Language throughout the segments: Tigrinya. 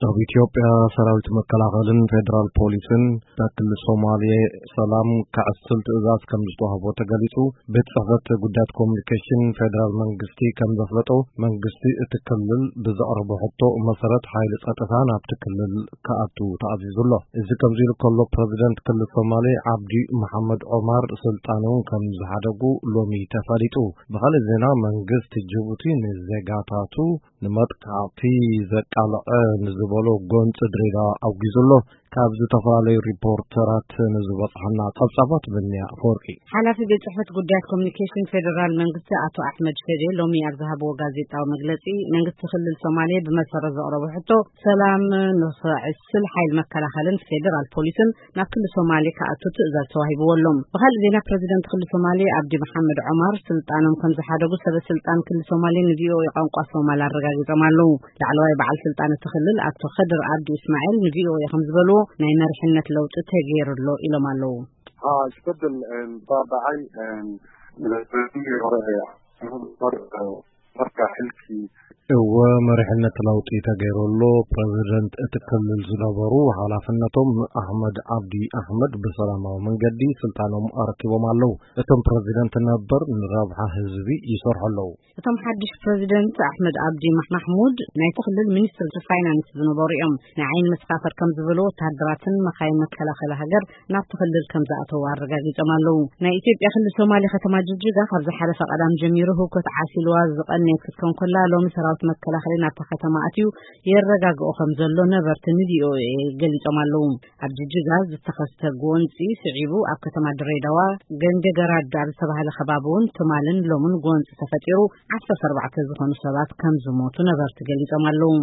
ኣብ ኢትዮጵያ ሰራዊት መከላኸልን ፌዴራል ፖሊስን በክልል ሶማሌ ሰላም ክዕስል ትእዛዝ ከም ዝተዋህቦ ተገሊጹ። ቤት ጽሕፈት ጉዳያት ኮሚኒኬሽን ፌዴራል መንግስቲ ከም ዘፍለጦ፣ መንግስቲ እቲ ክልል ብዘቕረቦ ሕቶ መሰረት ሓይሊ ጸጥታ ናብቲ ክልል ክኣቱ ተኣዚዙ ኣሎ። እዚ ከምዚ ኢሉ ከሎ፣ ፕረዚደንት ክልል ሶማሌ ዓብዲ መሓመድ ዑማር ስልጣኑ ከም ዝሓደጉ ሎሚ ተፈሊጡ። ብኻልእ ዜና፣ መንግስቲ ጅቡቲ ንዜጋታቱ ንመጥቃዕቲ ዘቃልዐ ንዝበሎ ጎንፂ ድሬዳዋ ኣውጊዙ ኣሎ። ካብ ዝተፈላለዩ ሪፖርተራት ንዝበፅሐና ፀብፃባት፣ ብንያ ኣፈወርቂ። ሓላፊ ቤት ጽሕፈት ጉዳያት ኮሚኒኬሽን ፌዴራል መንግስቲ ኣቶ ኣሕመድ ሸዴ ሎሚ ኣብ ዝሃብዎ ጋዜጣዊ መግለጺ፣ መንግስቲ ክልል ሶማሌ ብመሰረት ዘቕረቦ ሕቶ ሰላም ንኽዕስል ሓይል መከላኸልን ፌዴራል ፖሊስን ናብ ክልል ሶማሌ ክኣቱ ትእዛዝ ተዋሂብዎ ኣሎ። ብኻልእ ዜና፣ ፕረዚደንት ክልል ሶማሌ ኣብዲ መሓመድ ዑማር ስልጣኖም ከም ዝሓደጉ ሰበ ስልጣን ክልል ሶማሌ ንቪኦኤ ቋንቋ ሶማል ኣረጋጊጾም ኣለዉ። ላዕለዋይ በዓል ስልጣን እቲ ክልል ኣቶ ከድር ኣብዲ እስማኤል ንቪኦኤ ከም ዝበልዎ፣ ናይ መሪሕነት ለውጢ ተገይሩ ኣሎ ኢሎም ኣለዉ። ها، isbeddel, een, baaba'ay, een, milatariga hore ee Axmed Umar, ee, marka xilkii እወ፣ መሪሕነት ለውጢ ተገይሩ ኣሎ። ፕረዚደንት እቲ ክልል ዝነበሩ ሓላፍነቶም ኣሕመድ ዓብዲ ኣሕመድ ብሰላማዊ መንገዲ ስልጣኖም ኣረኪቦም ኣለዉ። እቶም ፕረዚደንት ነበር ንረብሓ ህዝቢ ይሰርሑ ኣለዉ። እቶም ሓድሽ ፕረዚደንት ኣሕመድ ኣብዲ ማሕ-፣ ማሕሙድ ናይቲ ክልል ሚኒስትር ፋይናንስ ዝነበሩ እዮም። ናይ ዓይኒ መሰኻኽር ከም ዝበሉ፣ ወተሃደራትን መኻይን መከላኸሊ ሃገር ናብቲ ክልል ከም ዝኣተዉ ኣረጋጊጾም ኣለዉ። ናይ ኢትዮጵያ ክልል ሶማሌ ከተማ ጅጅጋ ካብ ዝሓለፈ ቀዳም ጀሚሩ ህውከት ዓሲልዋ ዝቐነየት ክትከውን ከላ፣ ሎሚ ሰራዊት መከላኸሊ ናብታ ከተማ ኣትዩ የረጋግኦ ከም ዘሎ ነበርቲ ንቪኦኤ ገሊጾም ኣለዉ። ኣብ ጅጅጋ ዝተኸስተ ጎንጺ ስዒቡ፣ ኣብ ከተማ ድሬዳዋ ገንደ ገራድ ኣብ ዝተባህለ ከባቢ እውን ትማልን ሎምን ጎንጺ ተፈጢሩ፣ ዓሰርተ ኣርባዕተ ዝኾኑ ሰባት ከም ዝሞቱ ነበርቲ ገሊጾም ኣለዉ።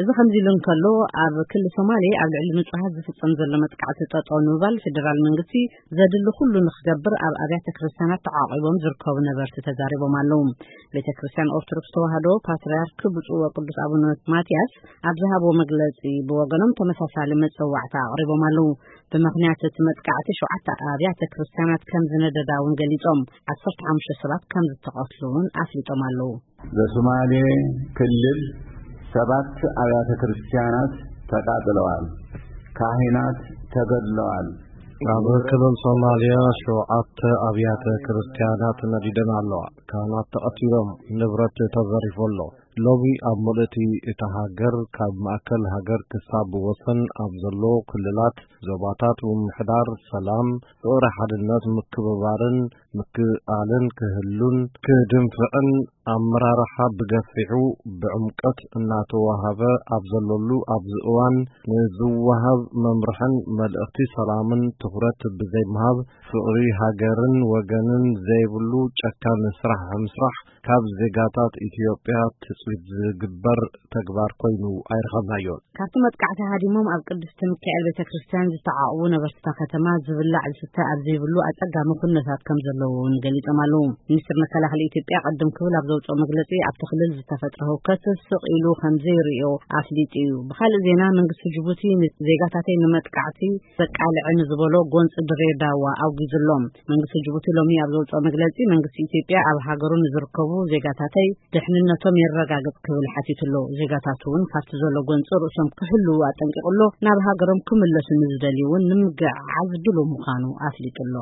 እዚ ከምዚ ኢሉ እንከሎ፣ ኣብ ክልል ሶማሌ ኣብ ልዕሊ ንጹሃት ዝፍጸም ዘሎ መጥቃዕቲ ጠጠው ንምባል ፌደራል መንግስቲ ዘድሊ ኩሉ ንክገብር ኣብ ኣብያተ ክርስቲያናት ተዓቂቦም ዝርከቡ ነበርቲ ተዛሪቦም ኣለዉ። ቤተ ክርስቲያን ኦርቶዶክስ ተዋህዶ ፓትርያርክ ብፁዕ ወቅዱስ ኣቡነ ማትያስ ኣብ ዝሃብዎ መግለጺ፣ ብወገኖም ተመሳሳሊ መጸዋዕታ ኣቕሪቦም ኣለዉ። ብምኽንያት እቲ መጥቃዕቲ ሸውዓተ ኣብያተ ክርስቲያናት ከም ዝነደዳ እውን ገሊጾም፣ ዓሰርተ ሓሙሽተ ሰባት ከም ዝተቐትሉ እውን ኣፍሊጦም ኣለዉ። በሶማሌ ክልል ሰባት ኣብያተ ክርስቲያናት ተቃጥለዋል፣ ካህናት ተገድለዋል። ኣብ ክልል ሶማልያ ሸውዓተ ኣብያተ ክርስቲያናት ነዲደን ኣለዋ። ካህናት ተቐቲሎም፣ ንብረት ተዘሪፉ ኣሎ። ሎሚ ኣብ ምልእቲ እታ ሃገር፣ ካብ ማእከል ሃገር ክሳብ ወሰን ኣብ ዘሎ ክልላት፣ ዞባታት፣ ምምሕዳር ሰላም፣ ፍቕሪ፣ ሓድነት፣ ምክብባርን ምክእኣልን ክህሉን ክድንፍዕን ኣመራርሓ ብገፊሑ ብዕምቀት እናተዋሃበ ኣብ ዘለሉ ኣብዚ እዋን፣ ንዝወሃብ መምርሕን መልእኽቲ ሰላምን ትኹረት ብዘይምሃብ፣ ፍቕሪ ሃገርን ወገንን ዘይብሉ ጨካን ስራሕ ምስራሕ ካብ ዜጋታት ኢትዮጵያ ትጽቢት ዝግበር ተግባር ኮይኑ ኣይረኸብናዮን። ካብቲ መጥቃዕቲ ሃዲሞም ኣብ ቅድስቲ ሚካኤል ቤተ ክርስቲያን ዝተዓቑቡ ነበርቲ እታ ከተማ፣ ዝብላዕ ዝስተ ኣብ ዘይብሉ ኣጸጋሚ ኩነታት ከም ዘለዉ እውን ገሊጾም ኣለዉ። ሚኒስትር መከላኸሊ ኢትዮጵያ ቅድም ክብል ኣብ ዘውጽኦ መግለጺ፣ ኣብቲ ክልል ዝተፈጥረ ህውከት ስቕ ኢሉ ከም ዘይርእዮ ኣፍሊጡ እዩ። ብኻልእ ዜና፣ መንግስቲ ጅቡቲ ንዜጋታተይ ንመጥቃዕቲ ዘቃልዐ ንዝበሎ ጎንፂ ድሬዳዋ ኣውጊዙ ኣሎ። መንግስቲ ጅቡቲ ሎሚ ኣብ ዘውፅኦ መግለፂ፣ መንግስቲ ኢትዮጵያ ኣብ ሃገሩ ንዝርከቡ ዜጋታተይ ድሕንነቶም የረጋግፅ ክብል ሓቲቱ ኣሎ። ዜጋታቱ እውን ካብቲ ዘሎ ጎንፂ ርእሶም ክሕልዉ ኣጠንቂቑ ኣሎ። ናብ ሃገሮም ክምለሱ ንዝደልዩ እውን ንምግዕዓዝ ድሉው ምዃኑ ኣፍሊጡ ኣሎ።